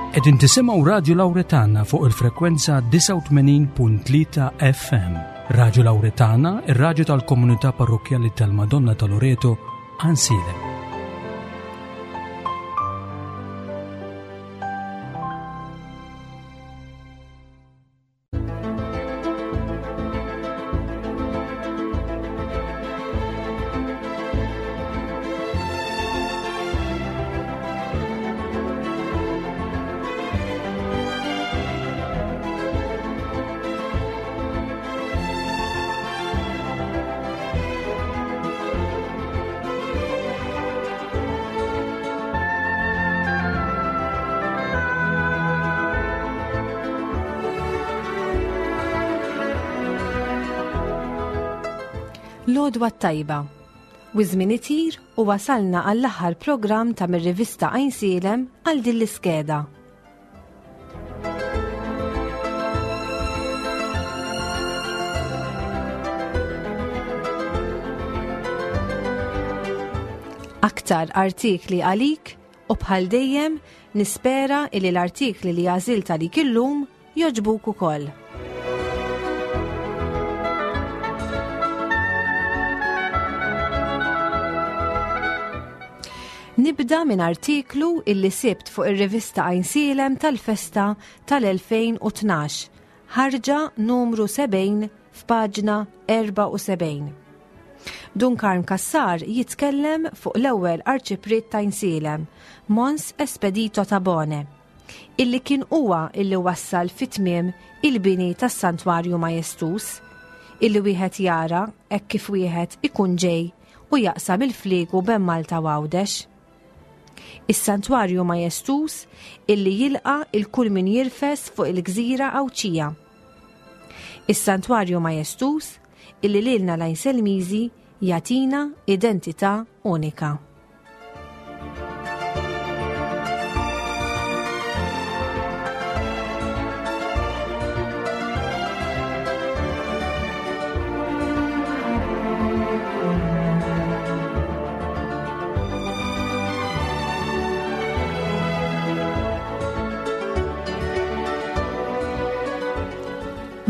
Qegħdin tisimgħu Radju Lawretana fuq il-frekwenza 89.3 FM. Radju Lawretana, ir-radju tal-komunità parrokkjali tal-Madonna ta' Loreto, Ansilem. L-għodwa t-tajba. U żmien itir u wasalna għall-aħħar programm ta' mir-rivista Għajnsielem għal din l-iskeda. Aktar artikli għalik u bħal dejjem nispera illi l-artikli li għażilt għalik illum jogħġbuk ukoll. Nibda minn artiklu illi sibt fuq ir-rivista Għajnsielem tal-festa tal-2012, ħarġa numru 70 f'paġna 74. Dun Karm Cassar jitkellem fuq l-ewwel Arċipriet t'Għajnsielem, Mons Espedito Tabone, illi kien huwa illi wassal fi tmiem il-bini tas-Santwarju Majestuż, illi wieħed jara hekk kif wieħed ikun ġej u jaqsam il-fliegu bejn Malta u Għawdex. Is-Santwarju Majestuż illi jilqa' il kull min jirfes fuq il-gżira Għawdxija. Is-Santwarju Majestuż illi lilna l-Għajnselmiżi jagħtina identità unika.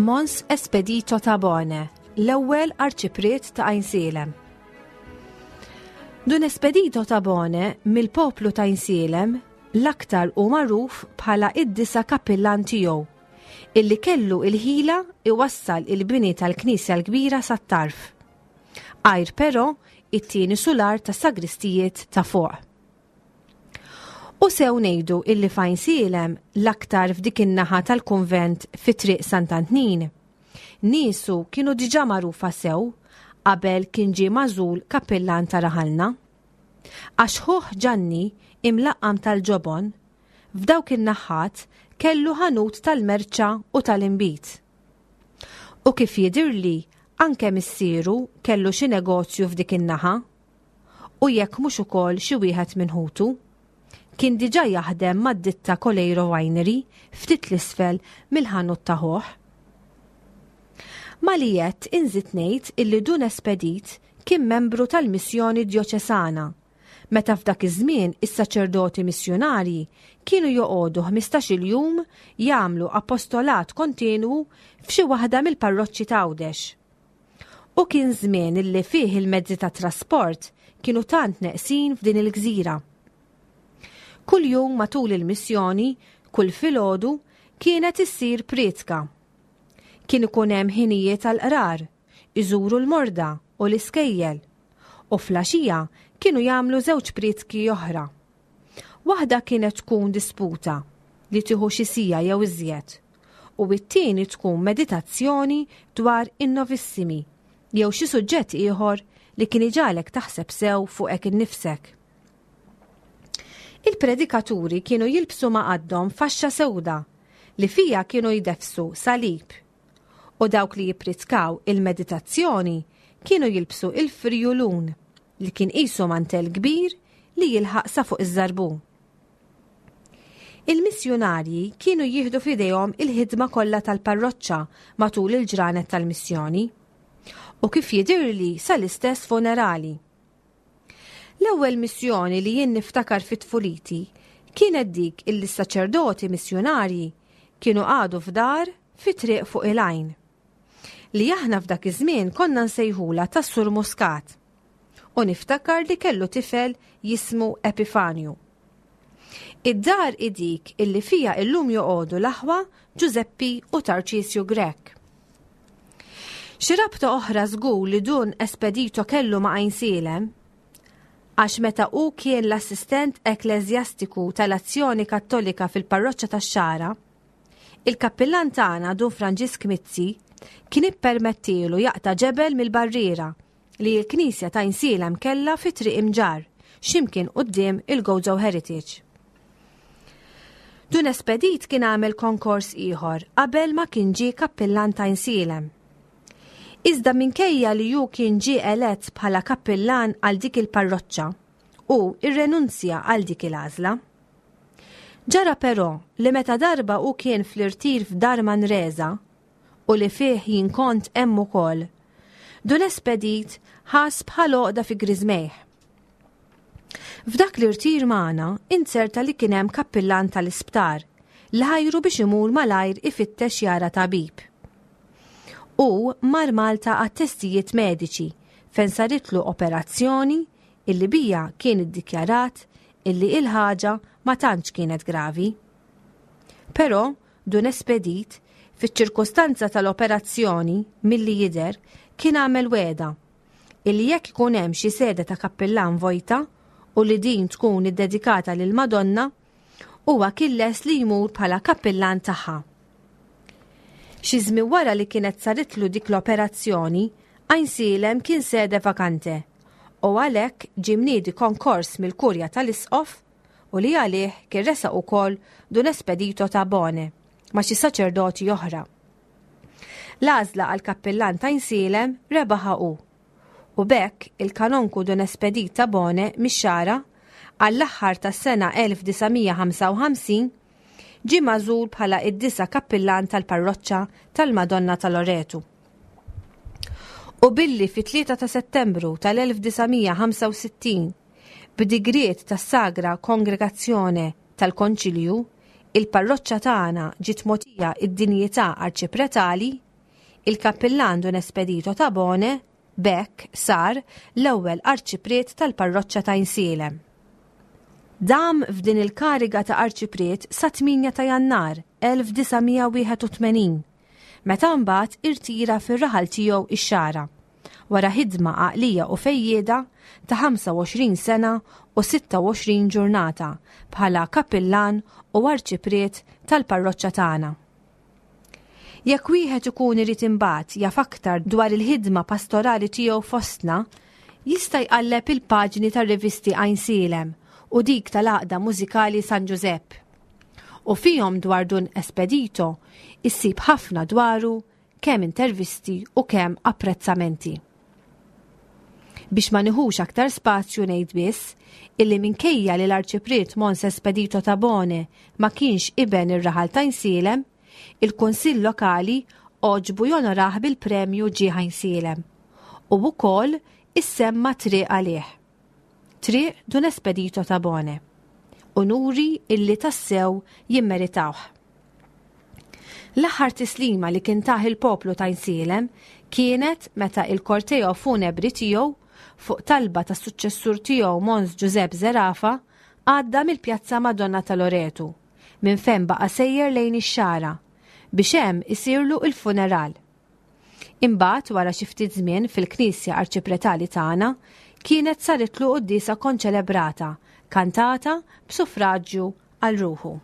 Mons Espedito Tabone, l-ewwel arċipriet ta' Għajnsielem. Dun Espedito Tabone mill-poplu ta' Għajnsielem l-aktar hu magħruf bħala id-disa' kappillan tiegħu, illi kellu il-ħila iwassal il-bini tal-knisja l-kbira sat-tarf. Għajr però it-tieni sular tas-sagristijiet ta' fuq. U sew ngħidu illi f'Għajnsielem l-aktar f'dik in-naħa tal-kunvent fi Triq Sant'Antnin, niesu kienu diġà magħrufa sew qabel kien ġie magħżul kappillan ta' raħalna. Għax ħuh Ġanni, imlaqqam tal-ġobon, f'dawk in-naħat kellu ħanut tal-merċa u tal-inbid. U kif jidhirli anke missieru kellu xi negozju f'dik in-naħa. U jekk mhux ukoll xi wieħed minn ħutu. Kien diġà jaħdem mad-ditta Coleiro Winery ftit 'l isfel mill-ħanut ta' ħuh. Ma li għedt inżid ngħid illi Dun Espedit kien membru tal-Missjoni Djoċesana meta f'dak iż-żmien is-saċerdoti missjunarji kienu joqogħdu ħmistax-il jum jagħmlu apostolat kontinwu f'xi waħda mill-parroċċi t'Għawdex. U kien żmien illi fih il-mezzi tat-trasport kienu tant neqsin f'din il-gżira. Kuljum matul il-missjoni, kull filgħodu, kienet issir prietka. Kien ikun hemm ħinijiet għall-qrar, iżuru l-morda u l-iskejjel, u fl-għaxija kienu jagħmlu żewġ prietki oħra. Waħda kienet tkun disputa li tieħu xi siegħa jew iżjed, u t-tieni tkun meditazzjoni dwar in-novissimi jew xi suġġett ieħor li kien iġagħlek taħseb sew fuqek innifsek. Il-predikaturi kienu jilbsu ma' qaddhom faxxa sewda li fiha kienu jdeffsu salib u dawk li jippritkaw il-meditazzjoni kienu jilbsu il-frijulun li kien qisu mantell kbir li jilħaq sa fuq iż-żarbun. Il-missjunarji kienu jieħdu f'idejhom il-ħidma kollha tal-parroċċa matul il-ġranet tal-missjoni u kif jidhirli sal-istess funerali. L-ewwel missjoni li jien niftakar fi tfuliti Kienet dik illi s-saċerdoti missjunarji kienu qagħdu f'dar fi triq fuq il-għajn. Li aħna f'dak iż-żmien konna nsejħulha tas-Sur Muscat. U niftakar li kellu tifel jismu Epifanju. Id-dar hi dik illi fiha illum joqogħdu l-aħwa Ġużeppi u Tarċisju Grech. Xi rabta oħra żgur li Dun Espedito kellu ma' Għajnsielem, għax meta hu kien l-assistent ekkleżjastiku tal-Azzjoni Kattolika fil-parroċċa tax-Xagħra, il-kappillan tagħna Dun Franġisk Mizzi kien ippermettielu jaqta' ġebel mill-barriera li l-knisja ta' Għajnsielem kellha fi Triq Imġarr, x'imkien quddiem il-Gozo Heritage. Dun Espedit kien għamel konkors ieħor qabel ma kien ġie kappillan ta' Għajnsielem. Iżda minkejja li hu kien ġie elett bħala kappillan għal dik il-parroċċa, hu rrenunzja għal dik il-għażla. Ġara però li meta darba hu kien fl-irtir f'Dar Manresa, u li fih jien kont hemm ukoll, Dun Espedit ħass bħal għoqda fi griżmejh. F'dak l-irtir magħna inzerta li kien hemm kappillan tal-isptar li ħajru biex imur malajr ifittex jara tabib. Hu mar Malta għat-testijiet mediċi fejn saritlu operazzjoni illi bija kien iddikjarat illi il-ħaġa ma tantx kienet gravi. Però Dun Espedit, fiċ-ċirkustanza tal-operazzjoni, milli jidher, kien għamel wegħda illi jekk ikun hemm xi sede ta' kappillan vojta u li din tkun iddedikata lill-Madonna, huwa kien lest li jmur bħala kappillan tagħha. Xi żmien wara li kienet saritlu dik l-operazzjoni, Għajnsielem kien sede vakante u għalhekk ġie mniedi konkors mill-Kurja tal-Isqof u li għalih kien resaq ukoll Dun Espedito Tabone ma' xi saċerdoti oħra. L-għażla għal kappillan ta' Għajnsielem rebaħha hu. U b'hekk il-Kanonku Dun Espedit Tabone mix-Xagħra għall-aħħar tas-sena 1955 ġie magħżul bħala id-disa' kappillan tal-parroċċa tal-Madonna ta' Loretu. U billi fit-3 ta' Settembru tal-1965 b'digriet tas-Sagra Kongregazzjone tal-Konċilju, il-parroċċa tagħna ġiet mogħtija d-dinjità arċipretali, il-Kappillan Dun Espedito Tabone b'hekk sar l-ewwel arċipriet tal-parroċċa ta' Għajnsielem. Dam f'din il-kariga ta' arċipriet sa 8 ta' Jannar 1981, meta mbagħad irtira fir-raħal tiegħu ix-Xagħra. wara ħidma għaqlija u fejjieda ta' 25 sena u 26 ġurnata bħala kappillan u arċipriet tal-parroċċa tagħna. Jekk wieħed ikun irid imbagħad jaf aktar dwar il-ħidma pastorali tiegħu fostna, jista' jqalleb il-paġni tar-rivisti Għajnsielem u dik tal-Għaqda Mużikali San Ġużepp. U fihom dwar Dun Espedito issib ħafna dwaru kemm intervisti u kemm apprezzamenti. Biex ma niħux aktar spazju ngħid biss illi minkejja li l-Arċipriet Mons Espedito Tabone ma kienx iben ir-raħal ta' Għajnsielem, il-Kunsill Lokali għoġbu jonorah bil-premju Ġieħ Għajnsielem u wkoll issemma triq għalih. Triq Dun Espedito Tabone. Unuri illi tassew jimmeritawh. L-aħħar tislima li kien tah il-poplu ta' Għajnsielem kienet meta il-korteo funebri tiegħu, fuq talba tas-suċċessur tiegħu Mons Ġużepp Zerafa, għadda mill-Pjazza Madonna ta' Loretu, minn fejn baqa' sejjer lejn ix-Xagħra, biex hemm isirlu l-funeral. Imbagħad wara xi ftit żmien fil-Knisja Arċipretali tagħna kienet saritlu quddiesa konċelebrata, kantata b'suffraġġju għal ruħu.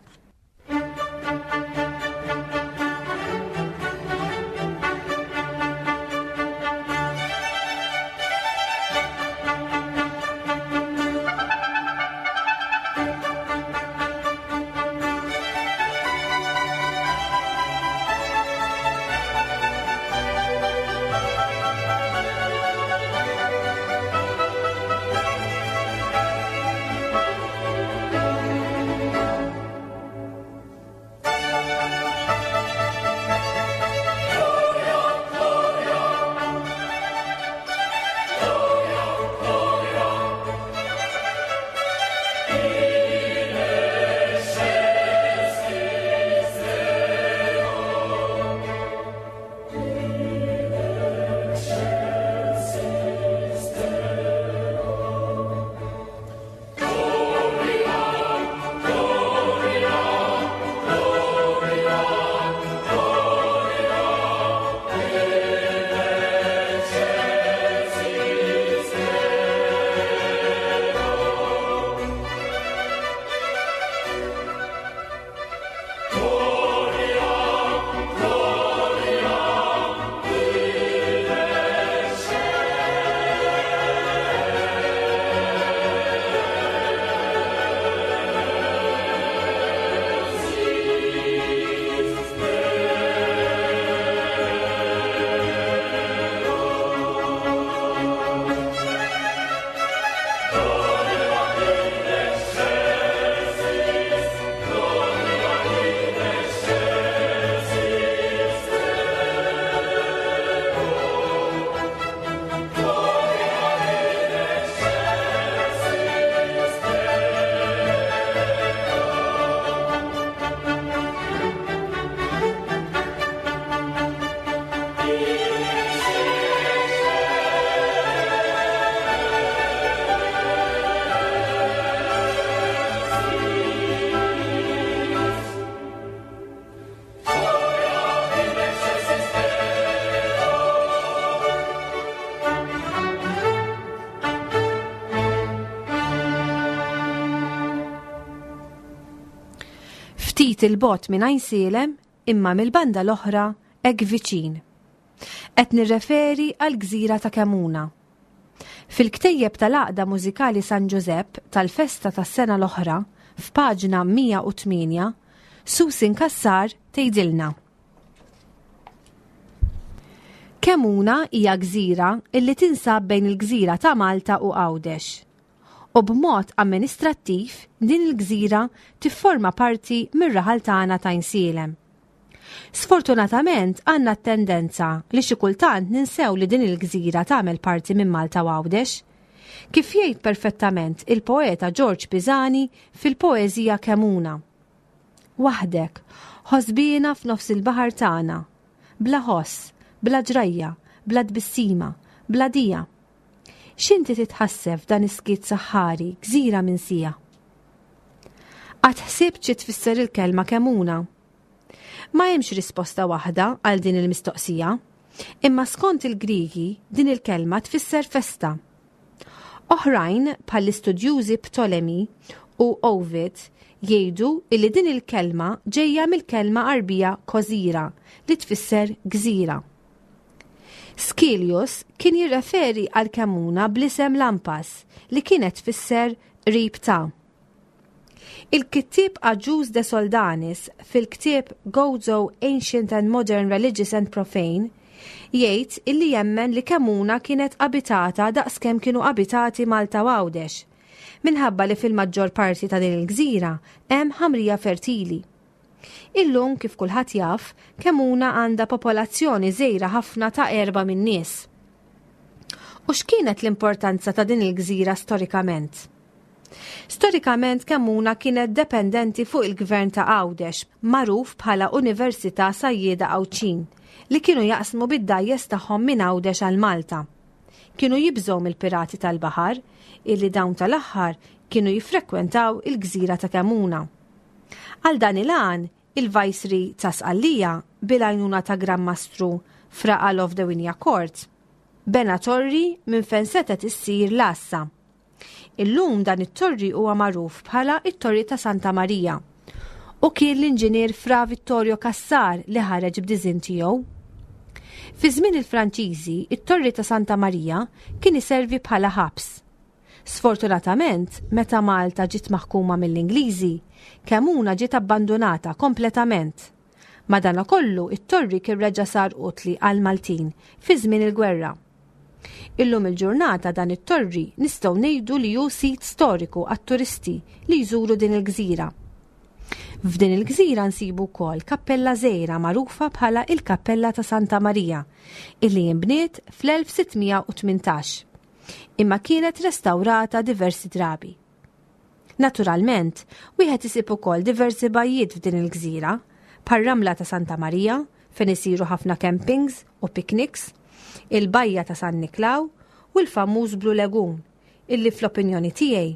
Ftit il-bogħod minn Għajnsielem imma mill-banda l-oħra hekk viċin. Qed nirreferi għall-gżira ta' Kemuna. Fil-ktejjeb tal-Għaqda Mużikali San Ġużepp tal-festa tas-sena l-oħra, f'paġna 108, Susan Cassar tgħidilna. Kemuna hija gżira illi tinsab bejn il-gżira ta' Malta u Għawdex. U b'mod amministrattiv din il-gżira tifforma parti mir-raħal tagħna ta' Għajnsielem. Sfortunatament għandna t-tendenza li xi kultant ninsew li din il-gżira tagħmel parti minn Malta u Għawdex. Kif jgħid perfettament il-poeta Ġorġ Pisani fil-poeżija Kemuna. Waħdek, ħosbiena f'nofs il-baħar tagħna, bla ħoss, bla ġrajja, bla tbissima, bla dija. X'inti titħasseb f'dan is-skiet saħħari, gżira minsija? Qatt ħsibt xi tfisser il-kelma kemuna? Ma hemmx risposta waħda għal din il-mistoqsija, imma skont il-Griegi din il-kelma tfisser festa. Oħrajn, bħall-istudjużi Ptolemy u Ovid, jgħidu illi din il-kelma ġejja mill-kelma Għarbija kozira li tfisser gżira. Skilius kien jirreferi għal Kemuna bl-isem Lampas li kienet tfisser qrib ta'. Il-kittieb Agius de Soldanis fil-ktieb Gozo Ancient and Modern Religious and Profane jgħid illi jemmen li Kemuna kienet abitata daqskemm kienu abitati Malta u Għawdex, minħabba li fil-maġġor parti ta' din il-gżira hemm ħamrija fertili. Illum kif kulħadd jaf, Kemuna għandha popolazzjoni żgħira ħafna ta' erba' min-nies. U x'kienet l-importanza ta' din il-gżira storikament? Storikament Kemmuna kienet dependenti fuq il-gvern ta' Għawdex, magħruf bħala Università Sajjieda Għawdxin, li kienu jaqsmu bid-dgħajjes tagħhom minn Għawdex għal Malta. Kienu jibżgħu mill-pirati tal-baħar, illi dawn tal-aħħar kienu jiffrekwentaw il-gżira ta' Kemmuna. Għal dan il-għan, il-Vicery ta' Sqallija, bil-għajnuna ta' Gran Mastru Fra Alof de Wignacourt, bena torri minn fejn setgħet issir l-għassa. Illum dan it-torri huwa magħruf bħala it-Torri ta' Santa Marija u kien l-inġinier Fra Vittorio Cassar li ħareġ b'diżinn tiegħu. Fi żmien il-Franċiżi, it-Torri ta' Santa Marija kien iservi bħala ħabs. Sfortunatament, meta Malta ġiet maħkuma mill-Ingliżi, Kemuna ġiet abbandunata kompletament. Madanakollu, it-torri kien reġa' sar utli għall-Maltin fi żmien il-gwerra. Illum il-ġurnata dan it-torri nistgħu ngħidu li hu sit storiku għat-turisti li jżuru din il-gżira. F'din il-gżira nsibu wkoll kappella żgħira magħrufa bħala il-Kappella ta' Santa Marija illi inbniet fl-1618 imma kienet restawrata diversi drabi. Naturalment, wieħed isib ukoll diversi bajjiet f'din il-gżira, bħar-Ramla ta' Santa Marija, fejn isiru ħafna campings u picnics, il-Bajja ta' San Niklaw u l-famuż Blue Lagoon, illi fl-opinjoni tiegħi,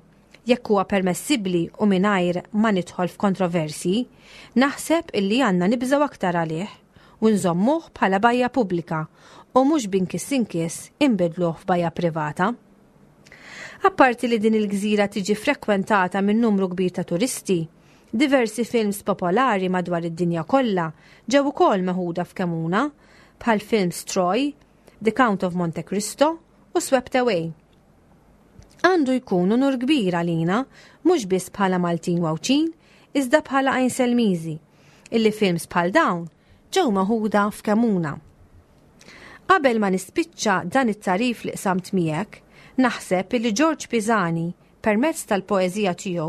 jekk huwa permessibbli u mingħajr ma nidħol f'kontroversji, naħseb illi għandna nibżgħu aktar għalih u nżommuh bħala bajja pubblika u mhux b'inkiss inkiss inbiddluh f'bajja privata. Apparti li din il-gżira tiġi frekwentata minn numru kbir ta' turisti, diversi films popolari madwar id-dinja kollha ġew ukoll meħuda f'Kemuna, bħal films Troy, The Count of Monte Cristo u Swept Away. Għandu jkun unur kbir għalina, mhux biss bħala Maltin u Għawdxin, iżda bħala Għajnselmiżi, illi films bħal dawn ġew meħuda f'Kemuna. Qabel ma nispiċċa dan it-tagħrif li qsamt miegħek, naħseb illi Ġorġ Pisani, permezz tal-poeżija tiegħu,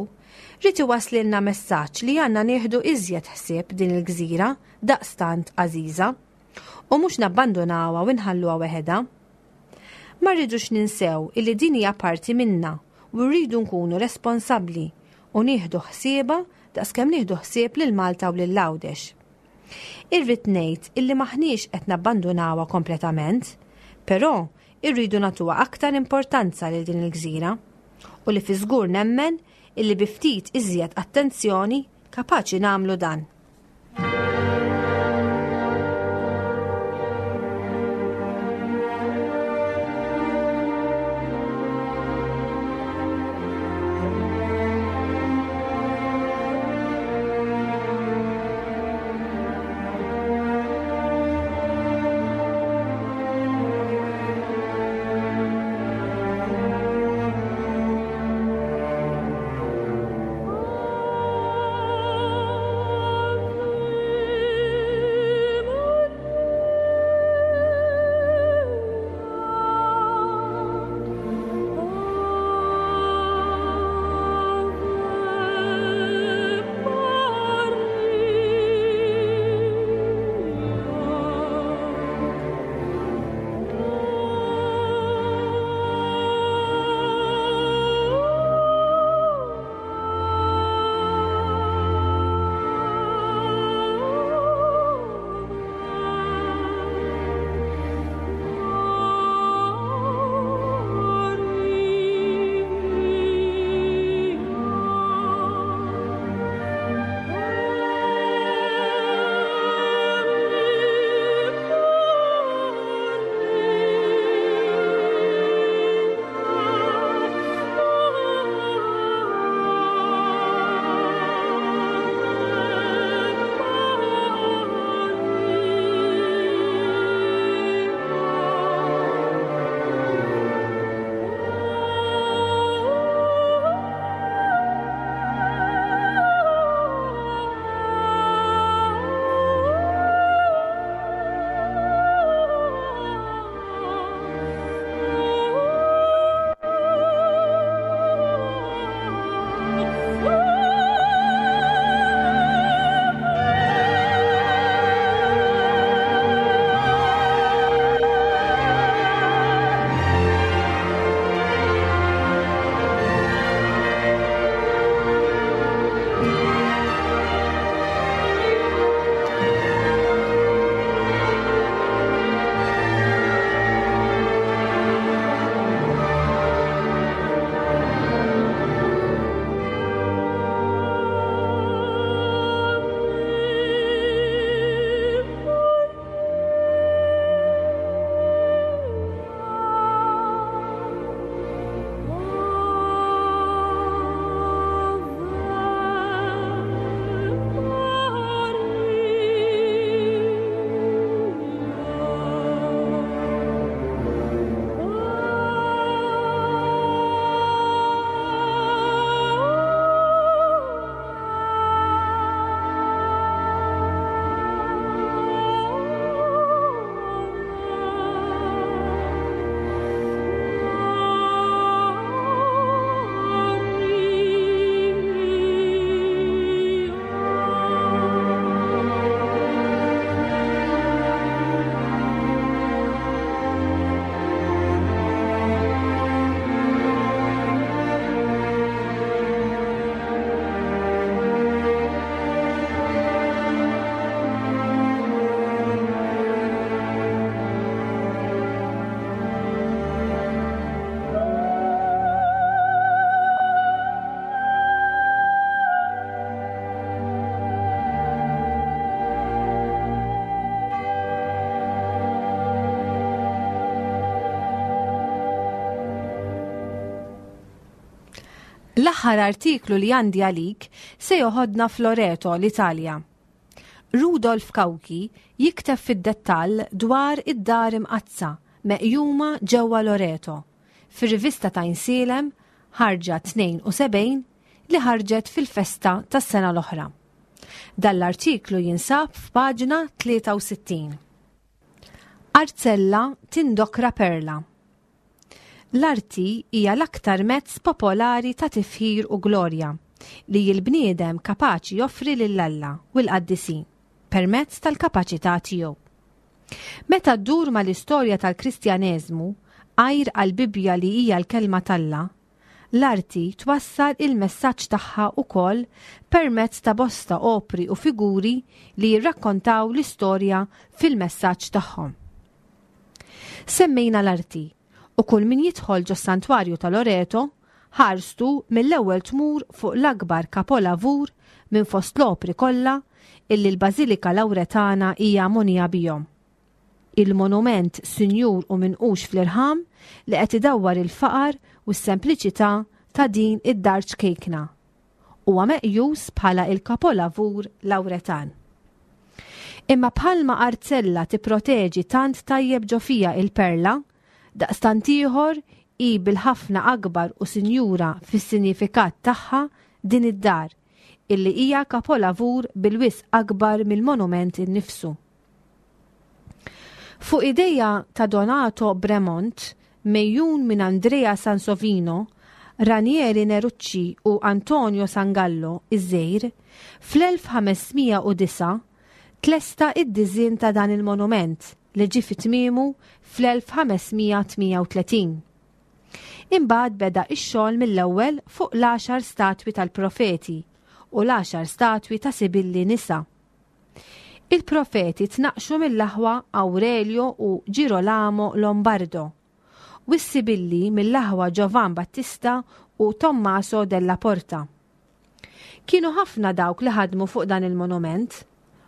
ried iwasslilna messaġġ li għandna nieħdu iżjed ħsieb din il-gżira daqstant għażiża u mhux nabbandunawha u nħalluha weħedha. Ma rridux ninsew illi din hija parti minna u rridu nkunu responsabbli u nieħdu ħsiebha daqskemm nieħdu ħsieb lil Malta u lil Għawdex. Irrid ngħid illi m'aħniex qed nabbandunawha kompletament, però irridu nagħtuha aktar importanza lil din il-gżira u li fi żgur nemmen illi bi ftit iżjed attenzjoni kapaċi nagħmlu dan. L-aħħar artiklu li għandi għalik se joħodna f'Loreto, l-Italja. Rudolf Cauchi jikteb fid-dettall dwar id-Dar Imqaddsa meqjuma ġewwa Loreto, fir-rivista t'Għajnsielem, ħarġa 72, li ħarġet fil-festa tas-sena l-oħra. Dan l-artiklu jinsab f'paġna 63. Arzella tindokra perla. L-arti hija l-aktar mezz popolari ta' tifħir u glorja li l-bniedem kapaċi joffri lil Alla u l-qaddisin permezz tal-kapaċità tiegħu. Meta ddur mal-istorja tal-Kristjaneżmu, għajr għall-Bibbja li hija l-Kelma t'Alla, l-arti twassal il-messaġġ tagħha wkoll permezz ta' bosta opri u figuri li jirrakkontaw l-istorja fil-messaġġ tagħhom. Semmejna l-arti, u kull min jidħol ġos-Santwarju ta' Loreto, ħarstu mill-ewwel tmur fuq l-akbar kapolavur minn fost l-opri kollha illi l-Bażilika Lawretana hija mogħnija bihom. Il-monument sinjur u minqux fl-irħam li qed idawwar il-faqar u s-sempliċità ta' din id-dar ċkejkna. Huwa meqjus bħala il-kapolavur Lawretan. Imma bħalma arzella tipproteġi tant tajjeb ġo fiha il-perla, daqstant ieħor hi bil-ħafna akbar u sinjura fis-sinjifikat tagħha din id-dar, illi hija kapolavur bil-wisq akbar mill-monument innifsu. Fuq idea ta' Donato Bremont, megħjun minn Andrea Sansovino, Ranieri Nerucci u Antonio Sangallo, iż-żgħir, fl-1509 tlesta d-diżinn ta' dan il-monument li ġie fi tmiemu fl-1538. Imbagħad beda x-xogħol mill-ewwel fuq l-għaxar statwi tal-profeti u l-għaxar statwi ta' sibilli nisa. Il-profeti tnaqqxu mill-aħwa Aurelio u Girolamo Lombardo, u s-sibilli mill-aħwa Giovan Battista u Tommaso della Porta. Kienu ħafna dawk li ħadmu fuq dan il-monument,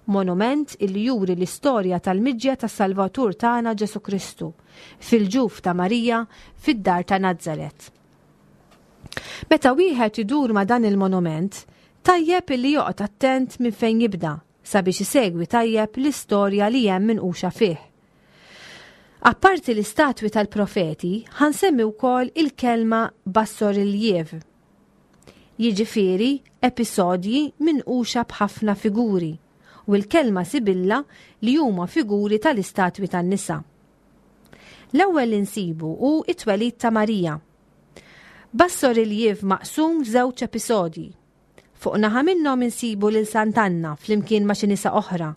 monument illi juri l-istorja tal-miġja tas-Salvatur tagħna Ġesù Kristu fil-ġuf ta' Marija fid-dar ta' Nazaret. Meta wieħed idur ma' dan il-monument, tajjeb illi joqgħod attent minn fejn jibda sabiex isegwi tajjeb l-istorja li hemm minquxa fih. Apparti l-istatwi tal-profeti, ħa nsemmi wkoll il-kelma bassoriljev. Jiġifieri episodji minquxa b'ħafna figuri u l-kelma sibilla li huma figuri tal-istatwi tan-nisa. L-ewwel li nsibu hu t-twelid ta' Marija. Bassoriljev maqsum f'żewġ episodji. Fuq naħa minnhom insibu lil Sant'Anna flimkien ma' xi nisa oħra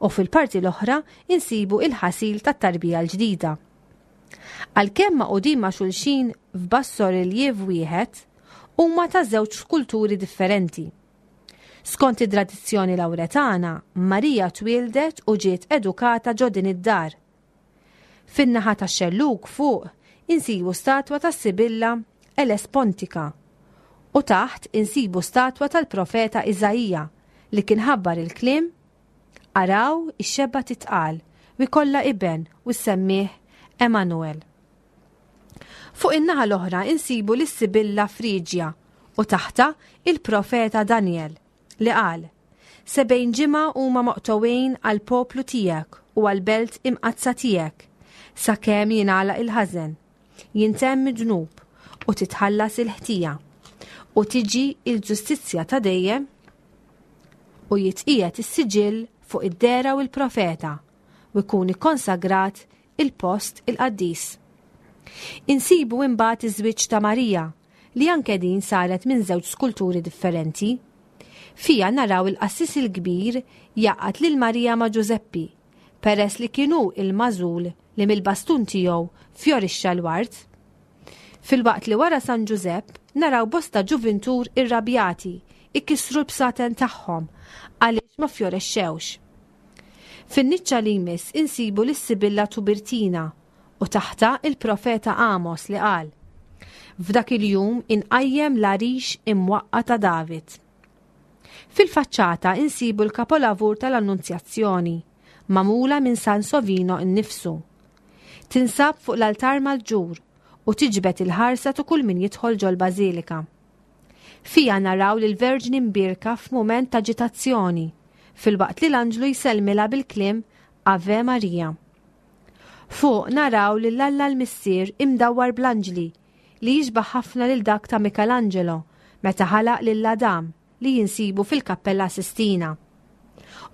u fil-parti l-oħra insibu il-ħasil tat-tarbija l-ġdida. Għalkemm magħqudin ma' xulxin f'bassoriljev wieħed, huma ta' żewġ skulturi differenti. Skont id-tradizzjoni Lawretana, Marija twieldet u ġiet edukata ġo din id-dar. Fin-naħa tax-xellug fuq insibu statwa tas-Sibilla Elespontika u taħt insibu statwa tal-profeta Iżaija li kien ħabbar il-kliem Araw ix-xebba titqal u jkollha iben u ssemmih Emanuel. Fuq in-naħa l-oħra insibu lis-Sibilla Friġja u taħtha il-profeta Daniel li qal 70 ġimgħa huma moqtgħuin għall-poplu tiegħek u għall-belt imqaddsa tiegħek, sakemm jingħalaq il-ħażen, jintemm id-dnub u titħallas il-ħtija, u tiġi l-ġustizzja ta' dejjem u jitqiegħed is-siġill fuq id-dehra u l-profeta u jkun ikkonsagrat il-post il-qaddis. Insibu imbagħad iż-żwieġ ta' Marija, li anke din saret minn żewġ skulturi differenti. Fiha naraw il-qassis il-kbir jgħaqqad lil Marija ma' Ġużeppi, peress li kien hu il-magħżul li mill-bastun tiegħu fjorixxa l-ward. Filwaqt li wara San Ġużepp naraw bosta ġuvintur irrabjati ikissru l-bsaten tagħhom għaliex ma fjorexxewx. Fin-niċċa li jmiss insibu lis-Sibilla Tubirtina u taħtha il-profeta Amos li qal, F'dak il-jum inqajjem l-għarix imwaqqa' ta' David. Fil-faċċata insibu l-kapolavur tal-Annunzjazzjoni, magħmula minn San Sovino nnifsu. Tinsab fuq l-altar mal-ġur u tiġbed il-ħarsa ta' kull min jidħol ġol-bażilika. Fiha naraw lill-Verġni Mbierka f'mument t'aġitazzjoni, filwaqt li l-anġlu jsellmilha bil-kliem Ave Maria. Fuq naraw lil Alla l-Missier imdawwar bl-anġli li jixbah ħafna lil dak ta' Michelangelo meta ħalaq lil Adam li jinsibu fil-Kappella Sistina.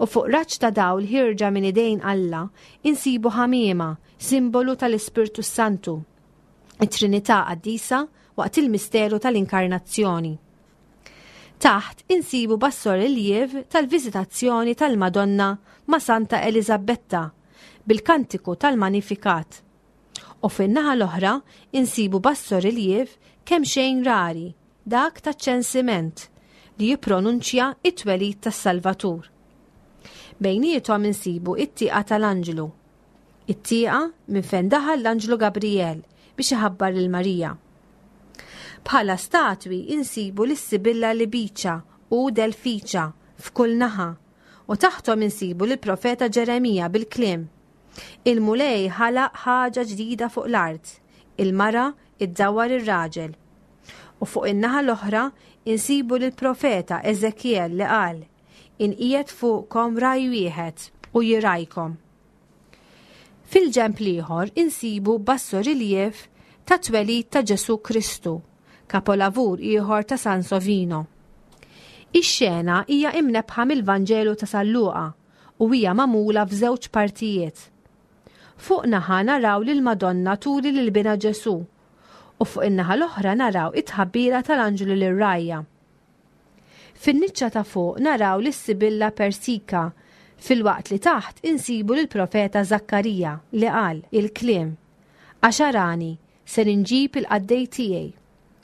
U fuq raġġ ta' dawl ħierġa minn idejn Alla insibu ħamiema, simbolu tal-Ispirtu s-Santu, it-Trinità Qaddisa waqt il-misteru tal-Inkarnazzjoni. Taħt insibu bassoriljev tal-Viżitazzjoni tal-Madonna ma' Santa Eliżabbetta bil-kantiku tal-Manifikat. U fin-naħa l-oħra insibu bassoriljev kemxejn rari, dak taċ-ċensiment, li jippronunċja t-twelid tas-Salvatur. Bejniethom insibu t-tieqa tal-anġlu. It-tieqa minn fejn daħal l-anġlu Gabrijel biex iħabbar lil Marija. Bħala statwi insibu lis-Sibilla Libiċa u Delfiċa f'kull naħa u taħthom insibu lill-profeta Ġeremija bil-kliem, Il-Mulej ħalaq ħaġa ġdida fuq l-art, il-mara iddawwar ir-raġel. U fuq in-naħa l-oħra insibu lill-profeta Eżekjel li qal, Inqiegħed fuqkom raj wieħed u jirajkom. Fil-ġenb l-ieħor insibu bassoriljev tat-twelid ta' Ġesù Kristu, kapolavur ieħor ta' Sansovino. Ix-xena hija imnebbħa mill-Vanġelu ta' San Luqa u hija magħmula f'żewġ partijiet. Fuq naħa naraw lill-Madonna turi lil binha Ġesù u fuq in-naħa l-oħra naraw it-tħabbira tal-anġlu lir-rgħajja. Fin-niċċa ta' fuq naraw lis-Sibilla Persika filwaqt li taħt insibu lill-profeta Żakkarija li qal il-kliem, Għax arani, ser inġib il-qaddej tiegħi,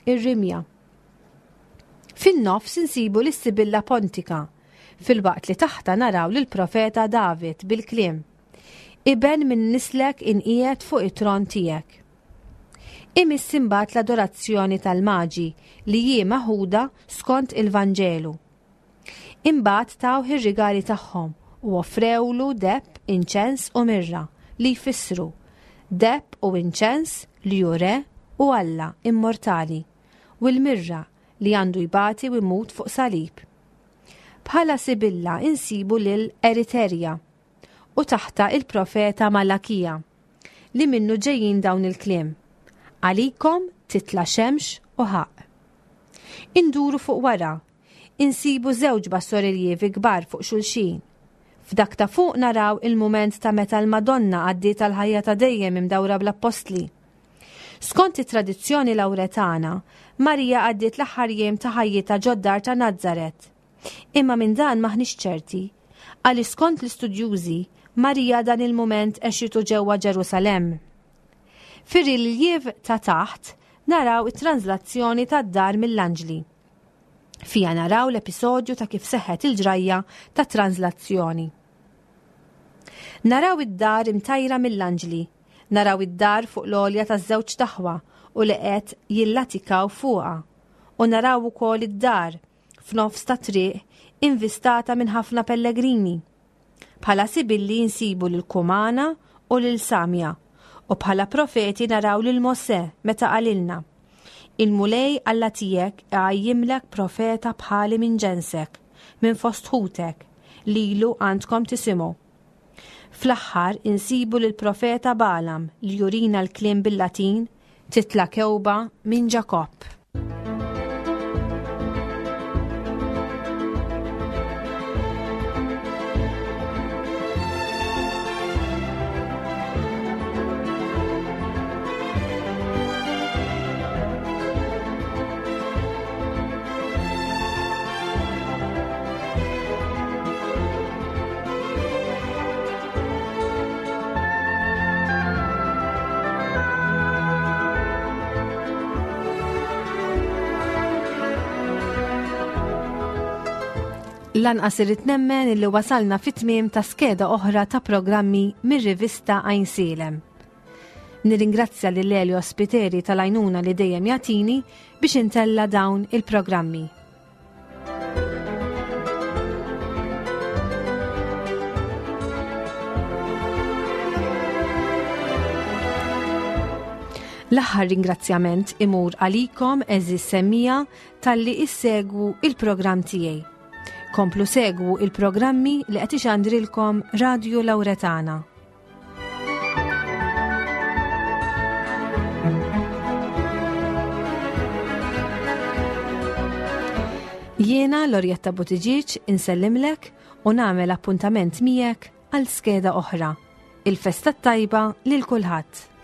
ir-rimja. Fin-nofs insibu lis-Sibilla Pontika filwaqt li taħtha naraw lill-profeta David bil-kliem, Iben minn nislek inqiegħed fuq it-tron tiegħek. Imiss imbagħad l-adorazzjoni tal-Maġi li hi meħuda skont il-Vanġelu. Imbagħad tawh ir-rigali tagħhom u offrewlu deheb, inċens u mirra, li jfissru, deheb u inċens li hu Re u Alla immortali, u l-mirra li għandu jbati u jmut fuq salib. Bħala Sibilla insibu lil Eriterja u taħtha il-profeta Malakija, li minnu ġejjin dawn il-kliem, Għalikom titla' xemx u ħaqq. Induru fuq wara, insibu żewġ bassoriljevi kbar fuq xulxin. F'dak ta' fuq naraw il-mument ta' meta l-Madonna għaddiet għall-ħajja ta' dejjem imdawra bl-appostli. Skont it-tradizzjoni Lawretana, Marija għaddiet l-aħħar jiem ta' ħajjitha ġod-dar ta' Nazaret. Imma minn dan m'aħniex ċerti, għaliex skont l-istudjużi, Marija dan il-mument għexitu ġewwa Ġerusalemm. Fir-riljiev ta' taħt naraw it-tranżlazzjoni tad-dar mill-anġli. Fiha naraw l-episodju ta' kif seħħet il-ġrajja tat-tranżlazzjoni. Naraw id-dar imtajra mill-anġli, naraw id-dar fuq l-għolja taż-żewġ taħwa u li qed jillatikaw fuqha, u naraw ukoll id-dar f'nofs ta' triq invistata minn ħafna pellegrini. Bħala sibilli nsibu lil Kumana u lil Samja u bħala profeti naraw lil Mosè meta qalilna, Il-Mulej Alla tiegħek iqajjimlek profeta bħali minn ġensek, minn fost ħutek, lilu għandkom tisimgħu. Fl-aħħar insibu lill-profeta Balam li jurina l-kliem bil-Latin Titla' kewba minn Ġakobb. Lanqas irrid nemmen illi wasalna fit-tmiem ta' skeda oħra ta' programmi mir-rivista Għajnsielem. Nirringrazzja lil Elio Spiteri tal-għajnuna li dejjem jagħtini biex intella dawn il-programmi. L-aħħar ringrazzjament imur għalikom eżis semmija talli issegwu il-programm tiegħi. Komplu segwu il-programmi li qed ixandrilkom Radio Lauretana. Jiena Lorjetta Buttigieg insellimlek u nagħmel appuntament miegħek għal skeda oħra. Il-festa tajba lil kulħadd.